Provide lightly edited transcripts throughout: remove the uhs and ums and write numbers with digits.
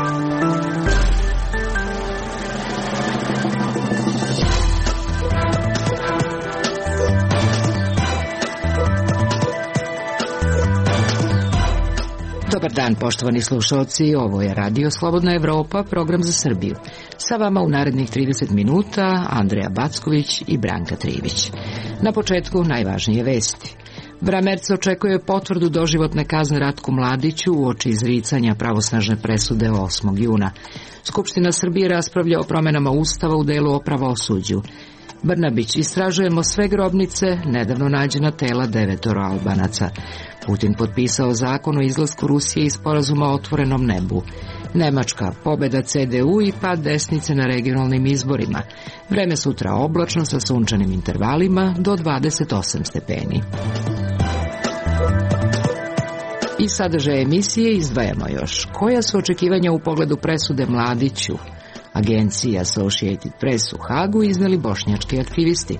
Dobar dan, poštovani slušalci, ovo je Radio Slobodna Evropa, program za Srbiju. Sa vama u narednih 30 minuta Andreja Backović i Branka Trivić. Na početku najvažnije vesti. Bramerc očekuje potvrdu doživotne kazne Ratku Mladiću uoči izricanja pravosnažne presude 8. juna. Skupština Srbije raspravlja o promenama Ustava u delu o pravosuđu. Brnabić, istražujemo sve grobnice, nedavno nađena tela 9 Albanaca. Putin potpisao zakon o izlasku Rusije iz sporazuma o otvorenom nebu. Nemačka, pobeda CDU i pad desnice na regionalnim izborima. Vreme sutra oblačno sa sunčanim intervalima do 28 stepeni. I sadržaj emisije izdvajamo još. Koja su očekivanja u pogledu presude Mladiću? Agenciji Associated Press u Hagu izneli bošnjački aktivisti.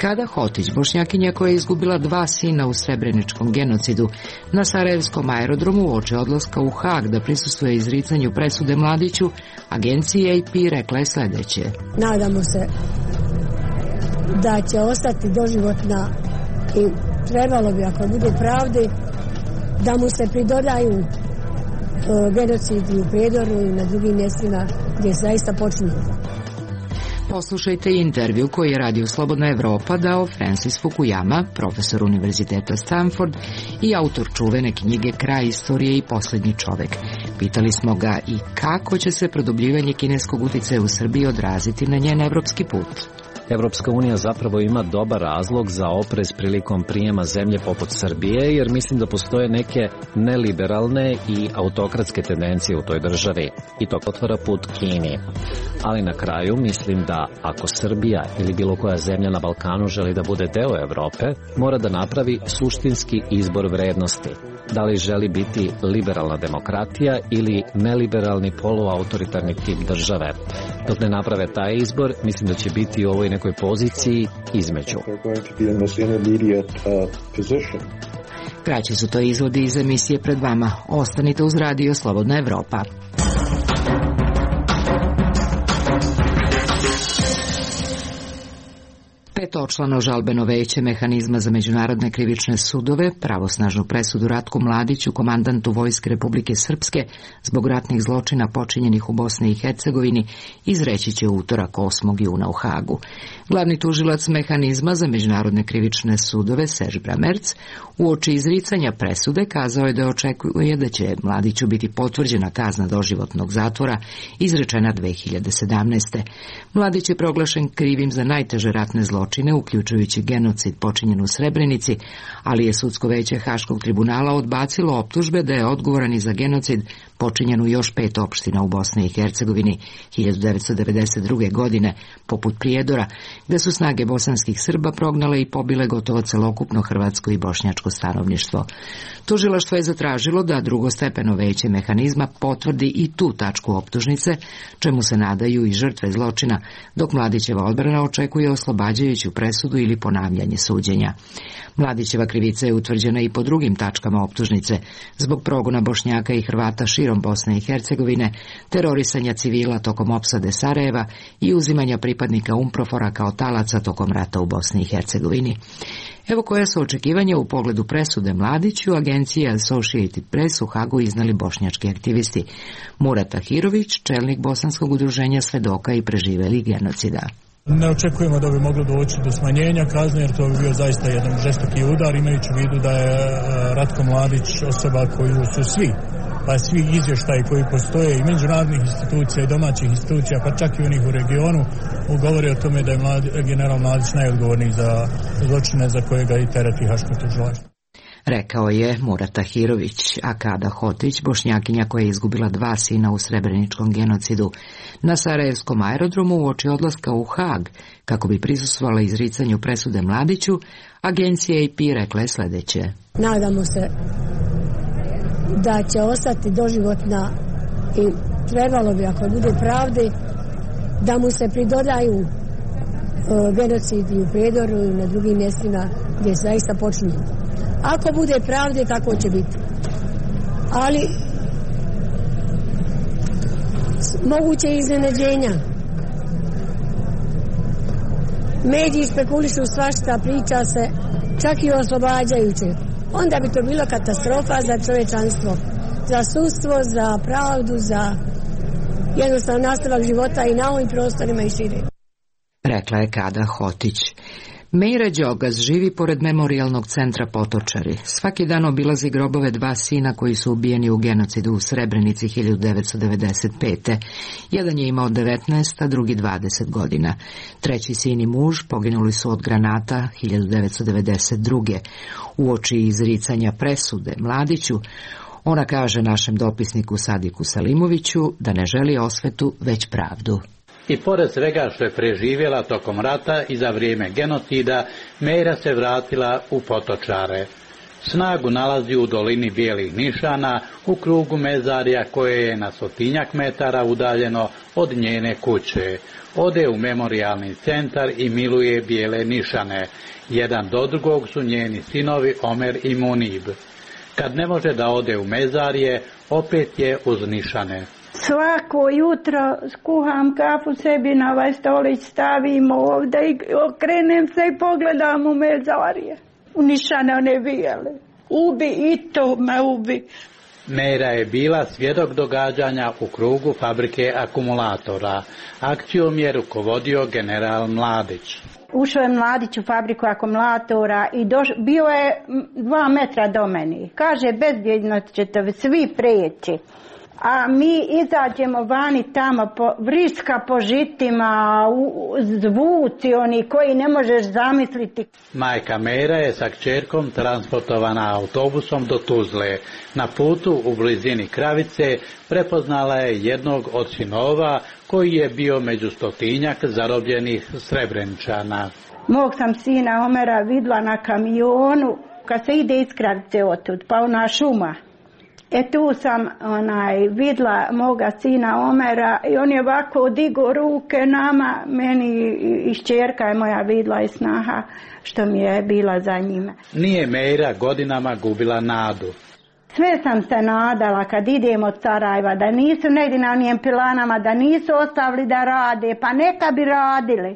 Kada Hotić, Bošnjakinja koja je izgubila 2 sina u srebreničkom genocidu, na Sarajevskom aerodromu uoči odlaska u Hag da prisustvuje izricanju presude Mladiću, agencija AP rekla je sledeće. Nadamo se da će ostati doživotna i trebalo bi, ako bude pravde, da mu se pridodaju genocidi u Prijedoru i na drugim mjestima gdje je zaista počinjeno. Poslušajte intervju koji je Radio Slobodna Evropa dao Francis Fukuyama, profesor Univerziteta Stanford i autor čuvene knjige Kraj istorije i posljednji čovek. Pitali smo ga i kako će se produbljivanje kineskog uticaja u Srbiji odraziti na njen evropski put. Evropska unija zapravo ima dobar razlog za oprez prilikom prijema zemlje poput Srbije, jer mislim da postoje neke neliberalne i autokratske tendencije u toj državi i to otvara put Kini. Ali na kraju mislim da ako Srbija ili bilo koja zemlja na Balkanu želi da bude deo Evrope, mora da napravi suštinski izbor vrednosti. Da li želi biti liberalna demokratija ili neliberalni poluautoritarni tip države. Dok ne naprave taj izbor, mislim da će biti u ovoj nekoj poziciji između. Kraći su to izvodi iz emisije pred vama. Ostanite uz Radio Slobodna Evropa. Petočlano žalbeno veće mehanizma za međunarodne krivične sudove pravosnažnu presudu Ratku Mladiću, komandantu Vojske Republike Srpske, zbog ratnih zločina počinjenih u Bosni i Hercegovini, izreći će u utorak 8. juna u Hagu. Glavni tužilac mehanizma za međunarodne krivične sudove, Serge Bramerc, uoči izricanja presude kazao je da očekuje da će Mladiću biti potvrđena kazna doživotnog zatvora izrečena 2017. Mladić je proglašen krivim za najteže ratne zločine, uključujući genocid počinjen u Srebrenici, ali je sudsko veće Haškog tribunala odbacilo optužbe da je odgovoran i za genocid počinjen u još 5 opština u Bosni i Hercegovini 1992. godine, poput Prijedora, gde su snage bosanskih Srba prognale i pobile gotovo celokupno hrvatsko i bošnjačko stanovništvo. Tužilaštvo je zatražilo da drugostepeno veće mehanizma potvrdi i tu tačku optužnice, čemu se nadaju i žrtve zločina, dok Mladićeva odbrana očekuje oslobađajuću presudu ili ponavljanje suđenja. Mladićeva krivica je utvrđena i po drugim tačkama optužnice, zbog progona Bošnjaka i Hrvata širom Bosne i Hercegovine, terorisanja civila tokom opsade Sarajeva i uzimanja pripadnika UNPROFOR-a kao talaca tokom rata u Bosni i Hercegovini. Evo koja su očekivanja u pogledu presude Mladiću, agencije Associated Press u Hagu iznali bošnjački aktivisti. Murat Tahirović, čelnik bosanskog udruženja svedoka i preživelih genocida. Ne očekujemo da bi moglo doći do smanjenja kazne, jer to bi bio zaista jedan žestoki udar, imajući u vidu da je Ratko Mladić osoba koju su svi izvještaji koji postoje i međunarodnih institucija i domaćih institucija, pa čak i onih u regionu, govore o tome da je general Mladić najodgovorniji za zločine za koje ga i tereti Haško tužilaštvo. Rekao je Murat Tahirović, a Kada Hotić, Bošnjakinja koja je izgubila 2 sina u srebreničkom genocidu, na Sarajevskom aerodromu uoči odlaska u Hag, kako bi prisustvovala izricanju presude Mladiću, agencija AP rekla je sledeće. Nadamo se da će ostati doživotna i trebalo bi, ako bude pravde, da mu se pridodaju genocidi u Prijedoru i na drugim mjestima gdje je zaista počinjeno. Ako bude pravde, tako će biti. Ali moguće iznenađenja. Mediji špekulišu svašta, priča se čak i oslobađajuće. Onda bi to bilo katastrofa za čovječanstvo, za sudstvo, za pravdu, za jednostavno nastavak života i na ovim prostorima i šire. Rekla je Kada Hotić. Mejra Đogas živi pored memorijalnog centra Potočari. Svaki dan obilazi grobove 2 sina koji su ubijeni u genocidu u Srebrenici 1995. Jedan je imao 19, a drugi 20 godina. Treći sin i muž poginuli su od granata 1992. Uoči izricanja presude Mladiću, ona kaže našem dopisniku Sadiku Salimoviću da ne želi osvetu, već pravdu. I pored svega što je preživjela tokom rata i za vrijeme genocida, Mejra se vratila u Potočare. Snagu nalazi u dolini Bijelih nišana, u krugu mezarja koje je na 100 metara udaljeno od njene kuće. Ode u memorijalni centar i miluje bijele nišane. Jedan do drugog su njeni sinovi Omer i Munib. Kad ne može da ode u mezarje, opet je uz nišane. Svako jutro skuham kafu sebi na ovaj stolić, stavim ovdje i okrenem se i pogledam u mezarje. U nišane one bijele. Ubi i to me ubi. Mejra je bila svjedok događanja u krugu fabrike akumulatora. Akcijom je rukovodio general Mladić. Ušao je Mladić u fabriku akumulatora i bio je 2 metra do meni. Kaže, bezbjedno ćete svi prijeći. A mi izađemo vani tamo, vriska po žitima, zvuci oni koji ne možeš zamisliti. Majka Mejra je sa kćerkom transportovana autobusom do Tuzle. Na putu u blizini Kravice prepoznala je jednog od sinova koji je bio među 100 zarobljenih Srebreničana. Mog sam sina Omera vidla na kamionu kad se ide iz Kravice otud, pa ona šuma. Tu sam vidla moga sina Omera i on je ovako digo ruke nama, meni i kćerka je moja vidla i snaha što mi je bila za njime. Nije Mejra godinama gubila nadu. Sve sam se nadala kad idem od Sarajeva da nisu negdje na onim pilanama, da nisu ostavili da rade, pa neka bi radili.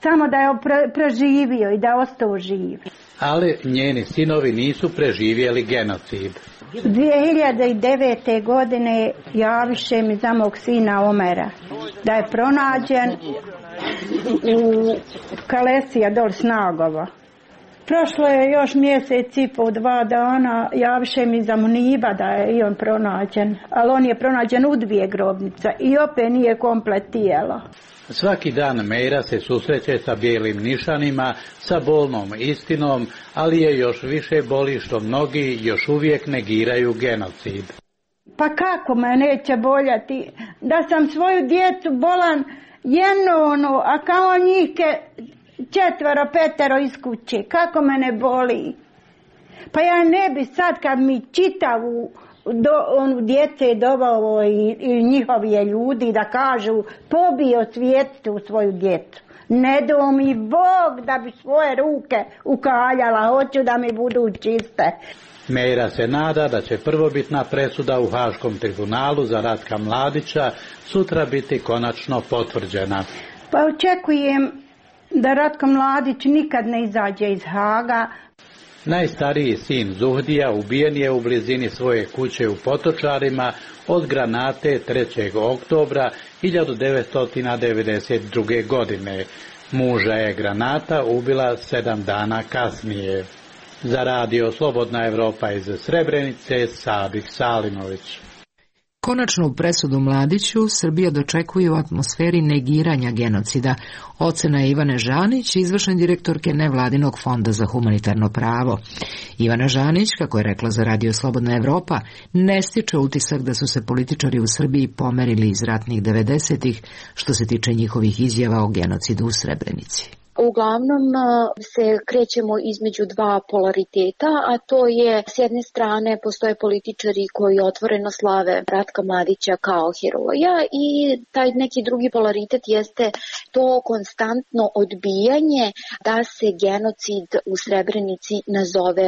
Samo da je preživio i da ostao živ. Ali njeni sinovi nisu preživjeli genocid. 2009. godine javiše mi za mog sina Omera da je pronađen u Kalesija dol Snagova. Prošlo je još mjesec i po 2 dana, javiše mi za Muniba da je i on pronađen, ali on je pronađen u 2 grobnice i opet nije komplet tijelo. Svaki dan Mejra se susreće sa bijelim nišanima, sa bolnom istinom, ali je još više boli što mnogi još uvijek negiraju genocid. Pa kako me neće boljati da sam svoju djecu bolan a kao njih 4-5 iz kuće, kako me ne boli. Pa ja ne bi sad kad mi čitavu djece dovao i njihovi ljudi da kažu pobio svijetu svoju djecu. Ne do mi Bog da bi svoje ruke ukaljala, hoću da mi budu čiste. Mejra se nada da će prvobitna presuda u Haškom tribunalu za Ratka Mladića sutra biti konačno potvrđena. Pa očekujem da Ratko Mladić nikad ne izađe iz Haga. Najstariji sin Zuhdija ubijen je u blizini svoje kuće u Potočarima od granate 3. oktobra 1992. godine. Muža je granata ubila 7 dana kasnije. Za radio Slobodna Evropa iz Srebrenice, Sadik Salimović. Konačnu presudu Mladiću Srbija dočekuje u atmosferi negiranja genocida. Ocena je Ivane Žanić, izvršne direktorke Nevladinog fonda za humanitarno pravo. Ivana Žanić, kako je rekla za radio Slobodna Evropa, ne stiče utisak da su se političari u Srbiji pomerili iz ratnih 90-ih što se tiče njihovih izjava o genocidu u Srebrenici. Uglavnom se krećemo između dva polariteta, a to je s jedne strane postoje političari koji otvoreno slave Ratka Mladića kao heroja i taj neki drugi polaritet jeste to konstantno odbijanje da se genocid u Srebrenici nazove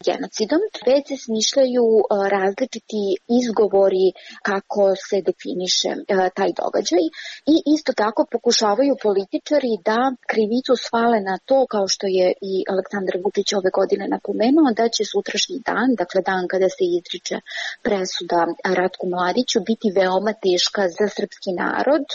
genocidom. Već se smišljaju različiti izgovori kako se definiše taj događaj i isto tako pokušavaju političari da krivicu svale na to, kao što je i Aleksandar Vučić ove godine napomenuo, da će sutrašnji dan, dakle dan kada se izriče presuda Ratku Mladiću, biti veoma teška za srpski narod.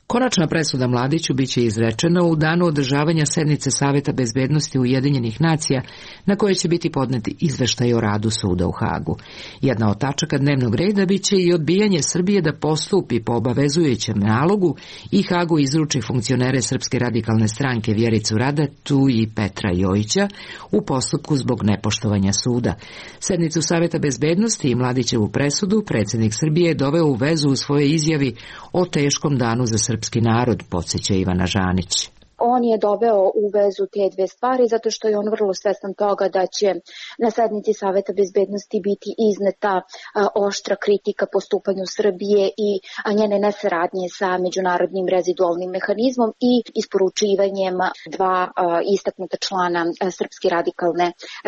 Konačna presuda Mladiću biće izrečena u danu održavanja sednice Saveta bezbednosti Ujedinjenih nacija, na koje će biti podneti izveštaj o radu suda u Hagu. Jedna od tačaka dnevnog reda biće i odbijanje Srbije da postupi po obavezujućem nalogu i Hagu izruči funkcionere Srpske radikalne stranke Vjericu Radetu i Petra Jojića u postupku zbog nepoštovanja suda. Sednicu Saveta bezbednosti i Mladićevu presudu predsjednik Srbije je doveo u vezu u svojoj izjavi o teškom danu za srpski narod, podsjeća Ivana Žanić. On je doveo u vezu te dve stvari zato što je on vrlo svestan toga da će na sednici Saveta bezbednosti biti izneta oštra kritika postupanju Srbije i njene nesaradnje sa međunarodnim rezidualnim mehanizmom i isporučivanjem dva istaknuta člana Srpske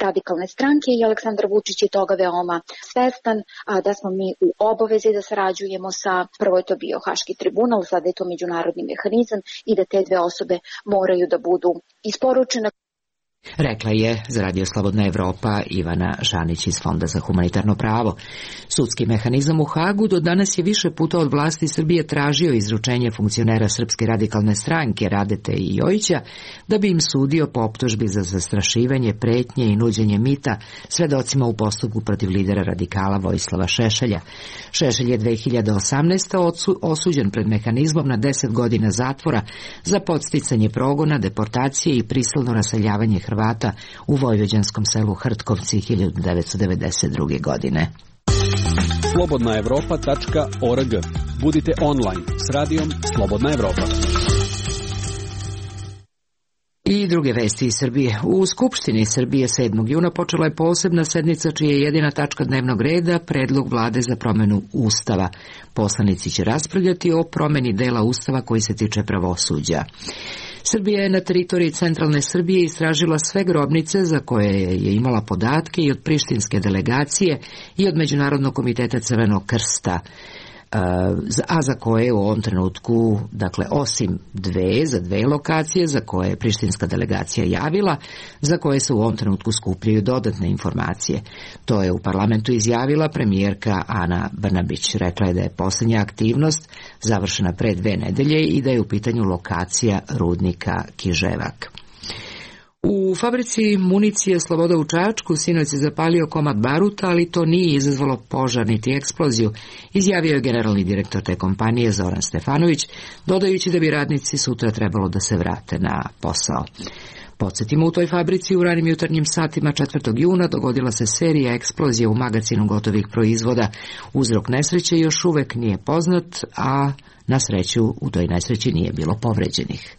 radikalne stranke i Aleksandar Vučić je toga veoma svestan da smo mi u obavezi da sarađujemo sa, prvo je to bio Haški tribunal, sada je to međunarodni mehanizam i da te dve osobe moraju da budu isporučene. Rekla je za Radio Slobodna Evropa Ivana Žanić iz Fonda za humanitarno pravo. Sudski mehanizam u Hagu do danas je više puta od vlasti Srbije tražio izručenje funkcionera Srpske radikalne stranke Radete i Jojića da bi im sudio po optužbi za zastrašivanje, pretnje i nuđenje mita svedocima u postupku protiv lidera radikala Vojislava Šešelja. Šešelj je 2018. osuđen pred mehanizmom na 10 godina zatvora za podsticanje progona, deportacije i prisilno raseljavanje Hrvata u vojvođanskom selu Hrtkovci 1992. godine. slobodnaevropa.org. Budite online s radijom Slobodna Evropa. I druge vesti iz Srbije. U Skupštini Srbije 7. juna počela je posebna sednica čija je jedina tačka dnevnog reda predlog vlade za promjenu Ustava. Poslanici će raspravljati o promjeni dela Ustava koji se tiče pravosuđa. Srbija je na teritoriji centralne Srbije istražila sve grobnice za koje je imala podatke i od prištinske delegacije i od Međunarodnog komiteta Crvenog krsta, a za koje u ovom trenutku, dakle osim za dve lokacije za koje je prištinska delegacija javila, za koje se u ovom trenutku skupljaju dodatne informacije. To je u parlamentu izjavila premijerka Ana Brnabić. Rekla je da je posljednja aktivnost završena pre 2 nedelje i da je u pitanju lokacija rudnika Kiževak. U fabrici municije Sloboda u Čačku sinoć se zapalio komad baruta, ali to nije izazvalo požar niti eksploziju, izjavio je generalni direktor te kompanije Zoran Stefanović, dodajući da bi radnici sutra trebalo da se vrate na posao. Podsjetimo, u toj fabrici u ranim jutarnjim satima 4. juna dogodila se serija eksplozija u magacinu gotovih proizvoda. Uzrok nesreće još uvek nije poznat, a na sreću u toj nesreći nije bilo povređenih.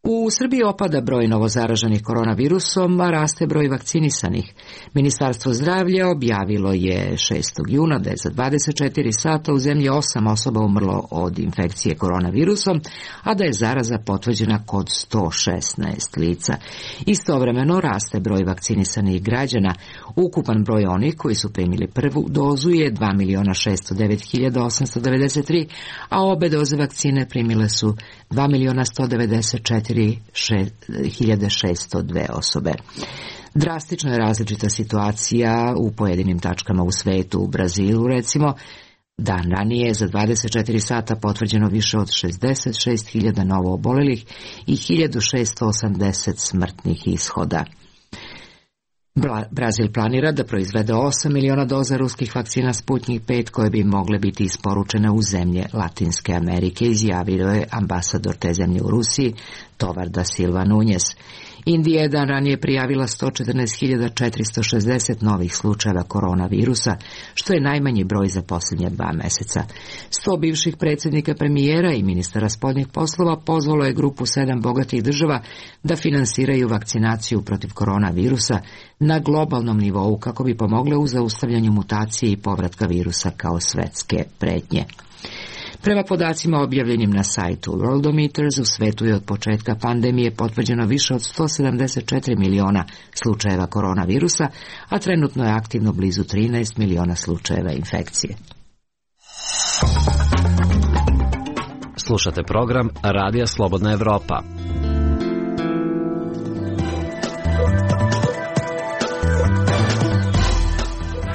U Srbiji opada broj novozaraženih koronavirusom, a raste broj vakcinisanih. Ministarstvo zdravlja objavilo je 6. juna da je za 24 sata u zemlji 8 osoba umrlo od infekcije koronavirusom, a da je zaraza potvrđena kod 116 lica. Istovremeno raste broj vakcinisanih građana. Ukupan broj onih koji su primili prvu dozu je 2.609.893, a obe doze vakcine primile su 2.194.602 osobe. Drastično je različita situacija u pojedinim tačkama u svetu. U Brazilu, recimo, dan ranije za 24 sata potvrđeno više od 66.000 novo obolelih i 1.680 smrtnih ishoda. Brazil planira da proizvede 8 miliona doza ruskih vakcina Sputnik 5 koje bi mogle biti isporučene u zemlje Latinske Amerike, izjavio je ambasador te zemlje u Rusiji, Tovar da Silva Núñez. Indija je dan ranije prijavila 114.460 novih slučajeva koronavirusa, što je najmanji broj za posljednja 2 meseca. 100 bivših predsjednika, premijera i ministara spoljnih poslova pozvalo je grupu 7 bogatih država da finansiraju vakcinaciju protiv koronavirusa na globalnom nivou kako bi pomogle u zaustavljanju mutacije i povratka virusa kao svetske pretnje. Prema podacima objavljenim na sajtu Worldometers, u svetu je od početka pandemije potvrđeno više od 174 miliona slučajeva koronavirusa, a trenutno je aktivno blizu 13 miliona slučajeva infekcije. Slušate program Radija Slobodna Evropa.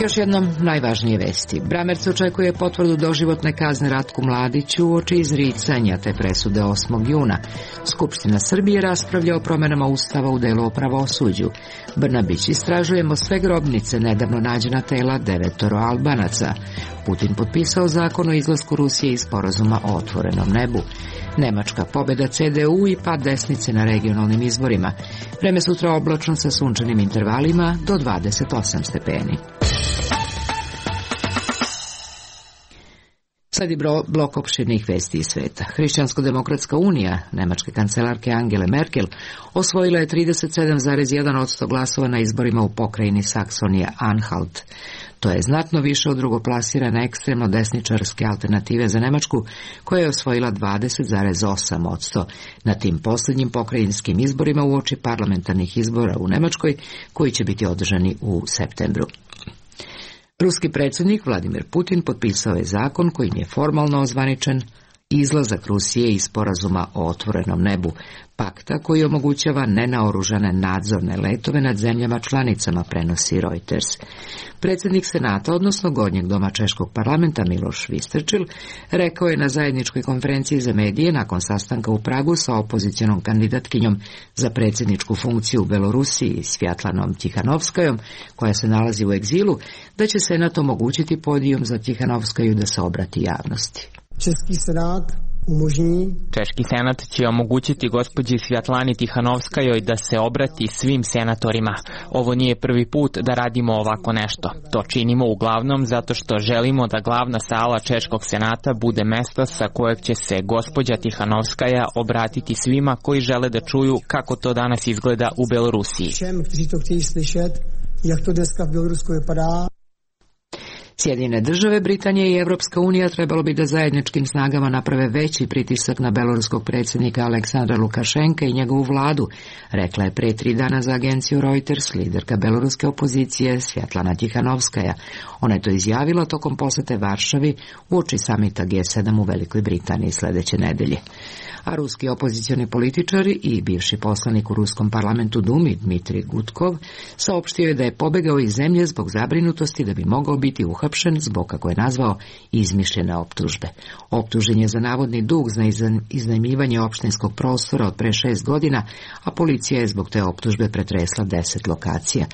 Još jednom najvažnije vesti. Bramerc očekuje potvrdu doživotne kazne Ratku Mladiću uoči izricanja te presude 8. juna. Skupština Srbije raspravlja o promjenama Ustava u delu o pravosuđu. Brnabić: istražujemo sve grobnice nedavno nađena tela 9 Albanaca. Putin potpisao zakon o izlasku Rusije iz sporazuma o otvorenom nebu. Nemačka: pobjeda CDU i pad desnice na regionalnim izborima. Vreme sutra oblačno sa sunčanim intervalima do 28 stepeni. Sad je blok opširnih vesti iz sveta. Hrišćansko-demokratska unija nemačke kancelarke Angele Merkel osvojila je 37,1% glasova na izborima u pokrajini Saksonija-Anhalt. To je znatno više od drugoplasirane ekstremno desničarske alternative za Nemačku, koja je osvojila 20,8% na tim posljednjim pokrajinskim izborima uoči parlamentarnih izbora u Nemačkoj, koji će biti održani u septembru. Ruski predsjednik Vladimir Putin potpisao je zakon kojim je formalno ozvaničen izlazak Rusije iz sporazuma o otvorenom nebu, pakta koji omogućava nenaoružane nadzorne letove nad zemljama članicama, prenosi Reuters. Predsjednik Senata, odnosno Gornjeg doma Češkog parlamenta, Miloš Vystrčil, rekao je na zajedničkoj konferenciji za medije nakon sastanka u Pragu sa opozicionom kandidatkinjom za predsjedničku funkciju u Belorusiji, Svjatlanom Tihanovskajom, koja se nalazi u egzilu, da će Senat omogućiti podijum za Tihanovskaju da se obrati javnosti. Češki senat će omogućiti gospođi Svjatlani Tihanovskajoj da se obrati svim senatorima. Ovo nije prvi put da radimo ovako nešto. To činimo uglavnom zato što želimo da glavna sala Češkog senata bude mesto sa kojeg će se gospođa Tihanovskaja obratiti svima koji žele da čuju kako to danas izgleda u Belorusiji. Sjedinjene države, Britanija i Evropska unija trebalo bi da zajedničkim snagama naprave veći pritisak na beloruskog predsjednika Aleksandra Lukašenka i njegovu vladu, rekla je pre 3 dana za agenciju Reuters liderka beloruske opozicije Svjatlana Tihanovskaja. Ona je to izjavila tokom posete Varšavi uoči samita G7 u Velikoj Britaniji sljedeće nedelje. A ruski opozicioni političari i bivši poslanik u ruskom parlamentu Dumi Dmitrij Gudkov saopštio je da je pobegao iz zemlje zbog zabrinutosti da bi mogao biti uhapšen zbog, kako je nazvao, izmišljene optužbe. Optužen je za navodni dug za iznajmljivanje opštinskog prostora od pre 6 godina, a policija je zbog te optužbe pretresla 10 lokacija.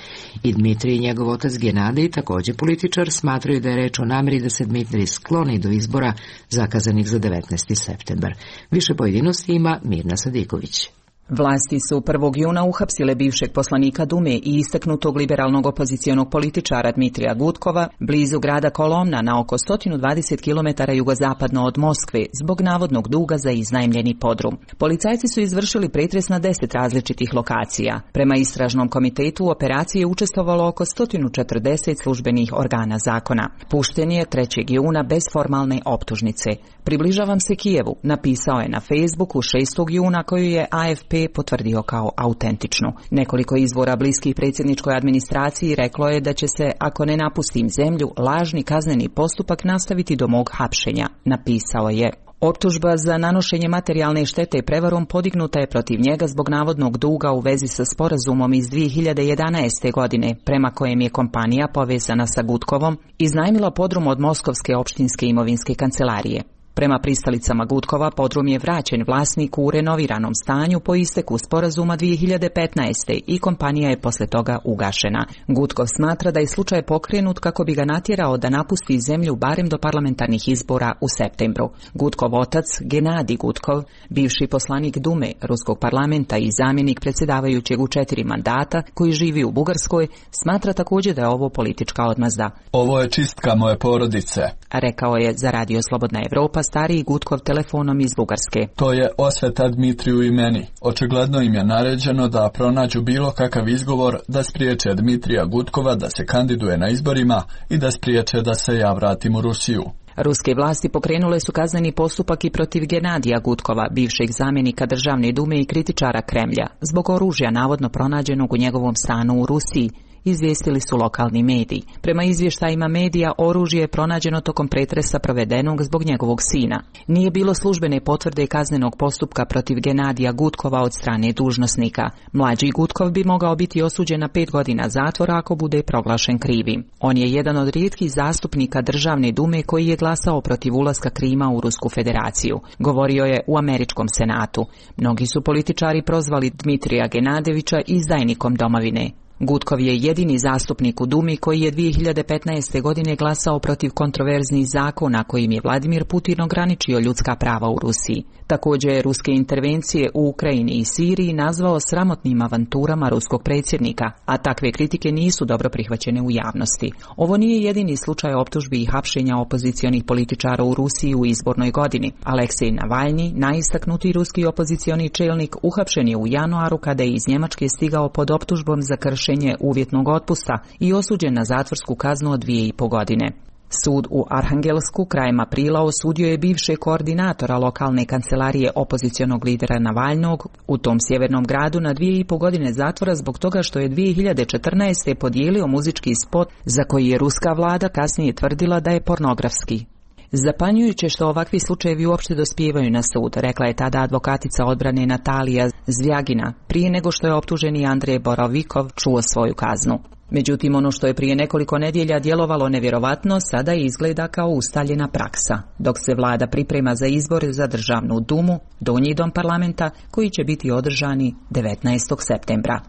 I Dmitrij i njegov otac Genadij, također političar, smatraju da je reč o namjeri da se Dmitrij skloni do izbora zakazanih za 19. septembar. Više pojedinosti ima Mirna Sadiković. Vlasti su 1. juna uhapsile bivšeg poslanika Dume i istaknutog liberalnog opozicionog političara Dmitrija Gudkova blizu grada Kolomna na oko 120 km jugozapadno od Moskve zbog navodnog duga za iznajmljeni podrum. Policajci su izvršili pretres na 10 različitih lokacija. Prema istražnom komitetu u operaciji je učestvovalo oko 140 službenih organa zakona. Pušten je 3. juna bez formalne optužnice. Približavam se Kijevu, napisao je na Facebooku 6. juna, koju je AFP potvrdio kao autentičnu. Nekoliko izvora bliskih predsjedničkoj administraciji reklo je da će se, ako ne napustim zemlju, lažni kazneni postupak nastaviti do mog hapšenja, napisao je. Optužba za nanošenje materijalne štete prevarom podignuta je protiv njega zbog navodnog duga u vezi sa sporazumom iz 2011. godine, prema kojem je kompanija povezana sa Gudkovom iznajmila podrum od Moskovske opštinske imovinske kancelarije. Prema pristalicama Gutkova, podrum je vraćen vlasniku u renoviranom stanju po isteku sporazuma 2015. i kompanija je posle toga ugašena. Gutkov smatra da je slučaj pokrenut kako bi ga natjerao da napusti zemlju barem do parlamentarnih izbora u septembru. Gutkov otac, Genadij Gutkov, bivši poslanik Dume Ruskog parlamenta i zamjenik predsjedavajućeg u 4 mandata, koji živi u Bugarskoj, smatra također da je ovo politička odmazda. Ovo je čistka moje porodice, rekao je za Radio Slobodna Evropa stariji Gutkov telefonom iz Bugarske. To je osveta Dmitriju i meni. Očigledno im je naređeno da pronađu bilo kakav izgovor da spriječe Dmitrija Gutkova da se kandiduje na izborima i da spriječe da se ja vratim u Rusiju. Ruske vlasti pokrenule su kazneni postupak i protiv Genadija Gutkova, bivšeg zamjenika Državne dume i kritičara Kremlja, zbog oružja navodno pronađenog u njegovom stanu u Rusiji, izvijestili su lokalni mediji. Prema izvještajima medija, oružje je pronađeno tokom pretresa provedenog zbog njegovog sina. Nije bilo službene potvrde kaznenog postupka protiv Genadija Gutkova od strane dužnosnika. Mlađi Gutkov bi mogao biti osuđen na 5 godina zatvora ako bude proglašen krivim. On je jedan od rijetkih zastupnika Državne dume koji je glasao protiv ulaska Krima u Rusku federaciju. Govorio je u Američkom senatu. Mnogi su političari prozvali Dmitrija Genadevića izdajnikom domovine. Gutkov je jedini zastupnik u Dumi koji je 2015. godine glasao protiv kontroverznih zakona kojim je Vladimir Putin ograničio ljudska prava u Rusiji. Također je ruske intervencije u Ukrajini i Siriji nazvao sramotnim avanturama ruskog predsjednika, a takve kritike nisu dobro prihvaćene u javnosti. Ovo nije jedini slučaj optužbi i hapšenja opozicionih političara u Rusiji u izbornoj godini. Aleksej Navalni, najistaknutiji ruski opozicioni čelnik, uhapšen je u januaru kada je iz Njemačke stigao pod optužbom za kršenje uvjetnog otpusta i osuđen na zatvorsku kaznu od 2,5 godine. Sud u Arhangelsku krajem aprila osudio je bivšeg koordinatora lokalne kancelarije opozicionog lidera Navalnog u tom sjevernom gradu na 2,5 godine zatvora zbog toga što je 2014. podijelio muzički spot za koji je ruska vlada kasnije tvrdila da je pornografski. Zapanjujuće što ovakvi slučajevi uopšte dospijevaju na sud, rekla je tada advokatica odbrane Natalija Zvjagina, prije nego što je optuženi Andrej Borovikov čuo svoju kaznu. Međutim, ono što je prije nekoliko nedjelja djelovalo nevjerovatno, sada izgleda kao ustaljena praksa, dok se vlada priprema za izbore za Državnu dumu, donji dom parlamenta, koji će biti održani 19. septembra.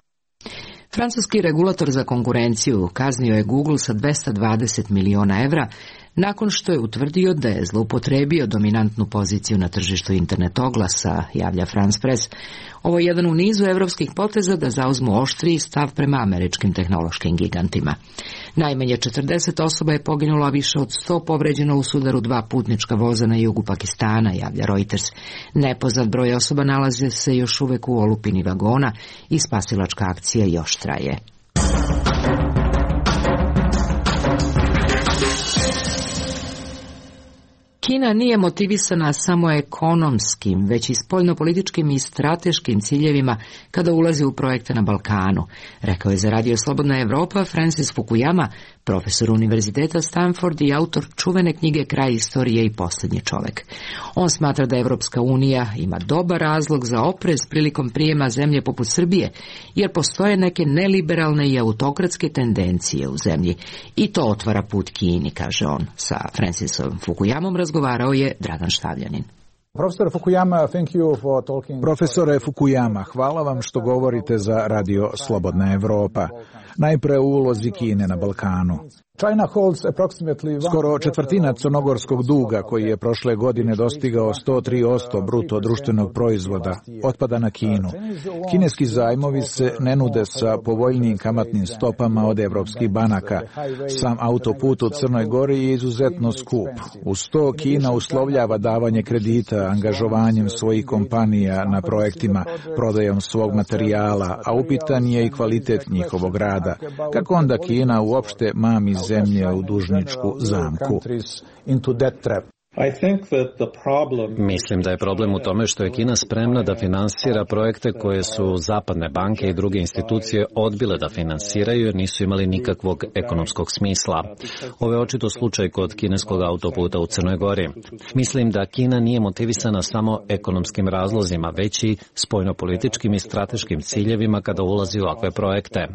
Francuski regulator za konkurenciju kaznio je Google sa 220 miliona evra nakon što je utvrdio da je zloupotrebio dominantnu poziciju na tržištu internet oglasa, javlja France Press. Ovo je jedan u nizu evropskih poteza da zauzmu oštriji stav prema američkim tehnološkim gigantima. Najmanje 40 osoba je poginulo, a više od 100 povređeno u sudaru 2 putnička voza na jugu Pakistana, javlja Reuters. Nepoznat broj osoba nalaze se još uvek u olupini vagona i spasilačka akcija još traje. Kina nije motivisana samo ekonomskim, već i spoljnopolitičkim i strateškim ciljevima kada ulazi u projekte na Balkanu, rekao je za Radio Slobodna Evropa Francis Fukuyama, profesor Univerziteta Stanford i autor čuvene knjige Kraj istorije i posljednji čovjek. On smatra da Evropska unija ima dobar razlog za oprez prilikom prijema zemlje poput Srbije, jer postoje neke neliberalne i autokratske tendencije u zemlji i to otvara put Kini, kaže on. Sa Francisom Fukuyamom razgovarao je Dragan Štavljanin. Profesore Fukuyama, hvala vam što govorite za Radio Slobodna Evropa. Najpre u ulozi Kine na Balkanu. Skoro četvrtina crnogorskog duga, koji je prošle godine dostigao 103% bruto društvenog proizvoda, otpada na Kinu. Kineski zajmovi se ne nude sa povoljnijim kamatnim stopama od evropskih banaka. Sam autoput u Crnoj Gori je izuzetno skup. Uz to Kina uslovljava davanje kredita angažovanjem svojih kompanija na projektima, prodajom svog materijala, a upitan je i kvalitet njihovog rada. Kako onda Kina uopšte mami zemlje u dužničku zamku? Mislim da je problem u tome što je Kina spremna da finansira projekte koje su zapadne banke i druge institucije odbile da finansiraju jer nisu imali nikakvog ekonomskog smisla. Ovo je očito slučaj kod kineskog autoputa u Crnoj Gori. Mislim da Kina nije motivisana samo ekonomskim razlozima, već i spoljnopolitičkim i strateškim ciljevima kada ulazi u ovakve projekte.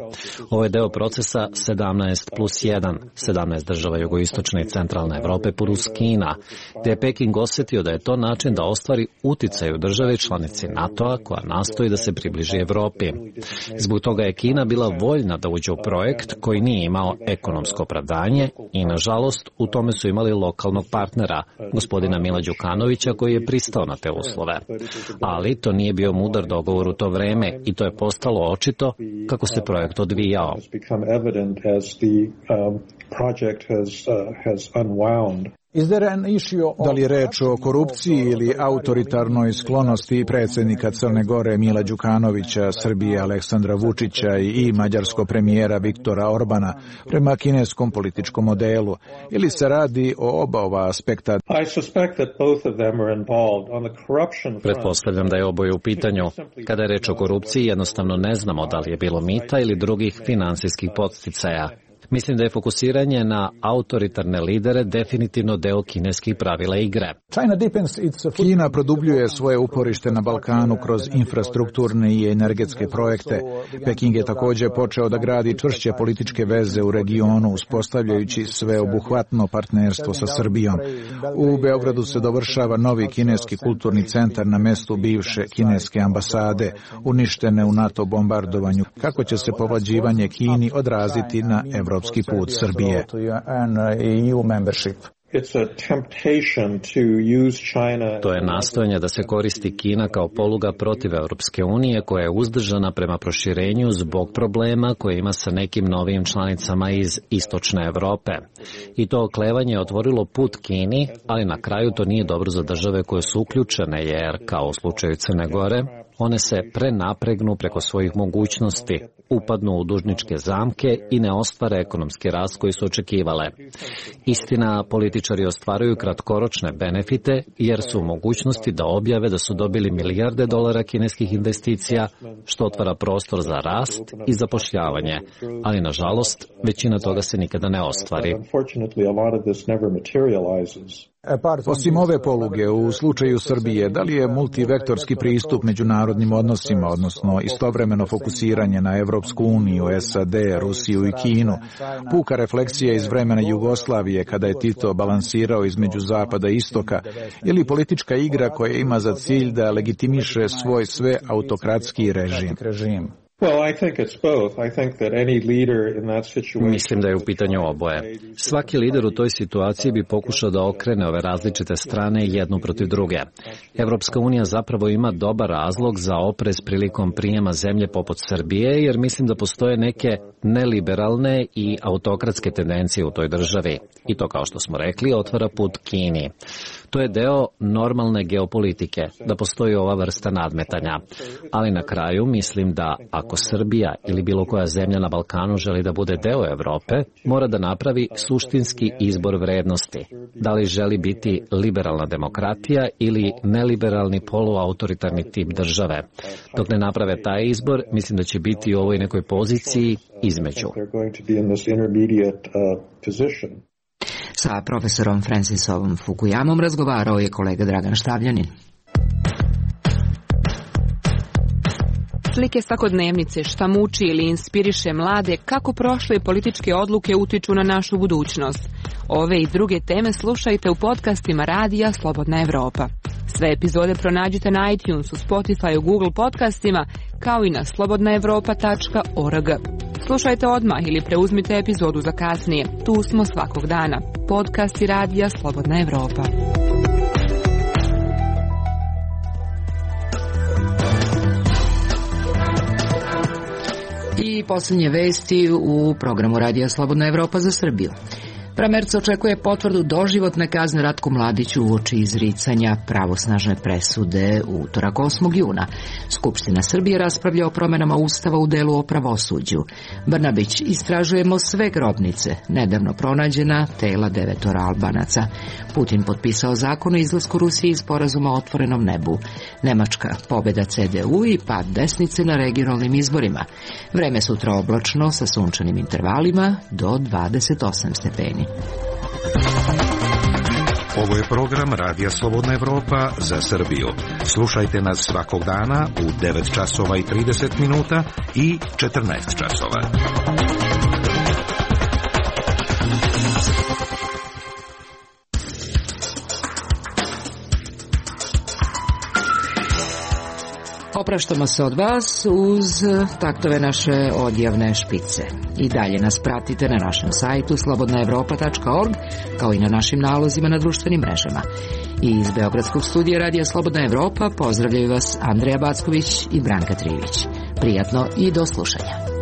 Ovo je deo procesa 17+1, 17 država jugoistočne i centralne Evrope plus Kina. te je Peking osjetio da je to način da ostvari uticaj u državi članici NATO-a koja nastoji da se približi Evropi. Zbog toga je Kina bila voljna da uđe u projekt koji nije imao ekonomsko opravdanje i, nažalost, u tome su imali lokalnog partnera, gospodina Mila Đukanovića, koji je pristao na te uslove. Ali to nije bio mudar dogovor u to vreme i to je postalo očito kako se projekt odvijao. Da li je reč o korupciji ili autoritarnoj sklonosti predsjednika Crne Gore Mila Đukanovića, Srbije Aleksandra Vučića i mađarskog premijera Viktora Orbana prema kineskom političkom modelu, ili se radi o oba ova aspekta? Pretpostavljam da je oboje u pitanju. Kada je reč o korupciji, jednostavno ne znamo da li je bilo mita ili drugih finansijskih podsticaja. Mislim da je fokusiranje na autoritarne lidere definitivno deo kineskih pravila igre. Kina produbljuje svoje uporište na Balkanu kroz infrastrukturne i energetske projekte. Peking je također počeo da gradi čvršće političke veze u regionu, uspostavljajući sveobuhvatno partnerstvo sa Srbijom. U Beogradu se dovršava novi kineski kulturni centar na mestu bivše kineske ambasade, uništene u NATO bombardovanju. Kako će se povlađivanje Kini odraziti na evropski put Srbije? To je nastojanje da se koristi Kina kao poluga protiv Europske unije koja je uzdržana prema proširenju zbog problema koje ima sa nekim novim članicama iz istočne Evrope. I to oklevanje je otvorilo put Kini, ali na kraju to nije dobro za države koje su uključene jer, kao u slučaju Crne Gore, one se prenapregnu preko svojih mogućnosti, upadnu u dužničke zamke i ne ostvare ekonomski rast koji su očekivale. Istina, političari ostvaruju kratkoročne benefite jer su u mogućnosti da objave da su dobili milijarde dolara kineskih investicija, što otvara prostor za rast i zapošljavanje, ali nažalost većina toga se nikada ne ostvari. Osim ove poluge, u slučaju Srbije, da li je multivektorski pristup međunarodnim odnosima, odnosno istovremeno fokusiranje na Evropsku uniju, SAD, Rusiju i Kinu, puka refleksija iz vremena Jugoslavije kada je Tito balansirao između zapada i istoka, ili politička igra koja ima za cilj da legitimiše svoj sve autokratski režim? Mislim da je u pitanju oboje. Svaki lider u toj situaciji bi pokušao da okrene ove različite strane jednu protiv druge. Evropska unija zapravo ima dobar razlog za oprez prilikom prijema zemlje poput Srbije, jer mislim da postoje neke neliberalne i autokratske tendencije u toj državi. I to, kao što smo rekli, otvara put Kini. To je deo normalne geopolitike, da postoji ova vrsta nadmetanja. Ali na kraju mislim da ako Srbija ili bilo koja zemlja na Balkanu želi da bude deo Evrope, mora da napravi suštinski izbor vrednosti. Da li želi biti liberalna demokratija ili neliberalni poluautoritarni tip države. Dok ne naprave taj izbor, mislim da će biti u ovoj nekoj poziciji između. Sa profesorom Francisom Fukuyamom razgovarao je kolega Dragan Štavljanin. Slike svakodnevnice, šta muči ili inspiriše mlade, kako prošle političke odluke utiču na našu budućnost. Ove i druge teme slušajte u podcastima Radija Slobodna Evropa. Sve epizode pronađite na iTunesu, Spotify, Google podcastima, kao i na slobodnaevropa.org. Slušajte odmah ili preuzmite epizodu za kasnije. Tu smo svakog dana. Podcasti Radija Slobodna Evropa. I posljednje vesti u programu Radija Slobodna Evropa za Srbiju. Pramerc očekuje potvrdu doživotne kazne Ratku Mladiću uoči izricanja pravosnažne presude u utorak 8. juna. Skupština Srbije raspravlja o promjenama Ustava u delu o pravosuđu. Brnabić: istražujemo sve grobnice, nedavno pronađena tela 9 Albanaca. Putin potpisao zakon o izlasku Rusije iz sporazuma o otvorenom nebu. Nemačka: pobjeda CDU i pad desnice na regionalnim izborima. Vreme sutra oblačno sa sunčanim intervalima do 28 stepeni. Ovo je program Radija Slobodna Evropa za Srbiju. Slušajte nas svakog dana u 9 časova i 30 minuta i 14 časova. opraštamo se od vas uz taktove naše odjavne špice. I dalje nas pratite na našem sajtu slobodnaevropa.org, kao i na našim nalozima na društvenim mrežama. I iz Beogradskog studija Radija Slobodna Evropa pozdravljaju vas Andreja Backović i Branka Trivić. Prijatno i do slušanja.